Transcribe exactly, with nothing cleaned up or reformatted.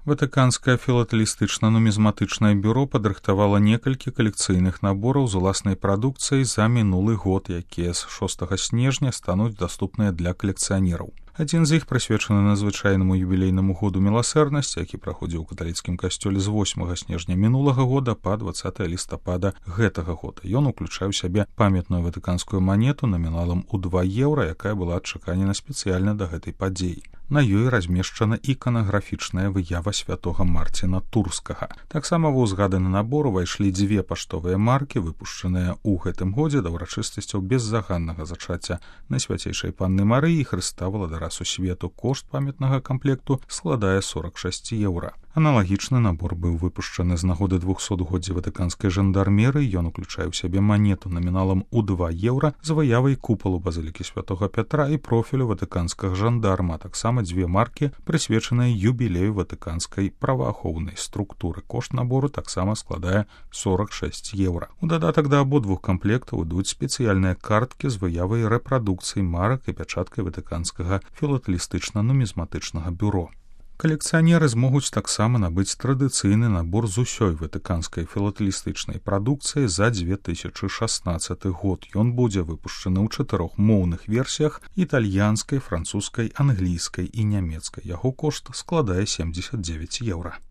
Ватыканскае філатэлістычна-нумізматычнае бюро падрыхтавала некалькі калекцыйных набораў з уласнай прадукцыяй за мінулы год, якія з шостага снежня стануць даступныя для калекцыянераў. Адзін з іх прысвечаны надзвычайнаму юбілейнаму году міласэрнасці, які праходзіў у каталіцкім касцёле з восьмага снежня мінулага года па дваццатае лістапада гэтага года. Ён уключае ў сябе памятную ватыканскую манету наміналам у два еўра, якая была адчаканена спецыяльна да гэтай падзеі. На ёй размешчана іканаграфічная выява святога Марціна Турскага. Таксама ва ўзгаданы набор увайшлі дзве паштовыя маркі, выпушчаныя ў гэтым годзе да ўрачыстасцяў беззаганнага зачацця Найсвяцейшай Панны Марыі і Хрыста Валадара сусвету. Кошт памятнага камплекту складае сорак шэсць еўра. Аналагічны набор быў выпушчаны з нагоды двухсотгоддзя ватыканскай жандармерыі. Ён уключае ў сябе манету наміналам у два еўра з выявай купалу базылікі святога Пятра і профілю ватыканскага жандарма, а таксама дзве маркі, прысвечаныя юбілею ватыканскай праваахоўнай структуры. Кошт набору таксама складае сорак шэсць еўра. У дадатак да абодвух камплектаў ідуць спецыяльныя карткі з выявай рэпрадукцый марак і пячаткай ватыканскага філатэлістычна-нумізматычнага бюро. Калекцыянеры змогуць таксама набыць традыцыйны набор з усёй ватыканскай філатэлістычнай прадукцыі за дзве тысячы шаснаццаты год. Ён будзе выпушчаны ў чатырох моўных версіях: італьянскай, французскай, англійскай і нямецкай. Яго кошт складае семдзесят дзевяць еўра.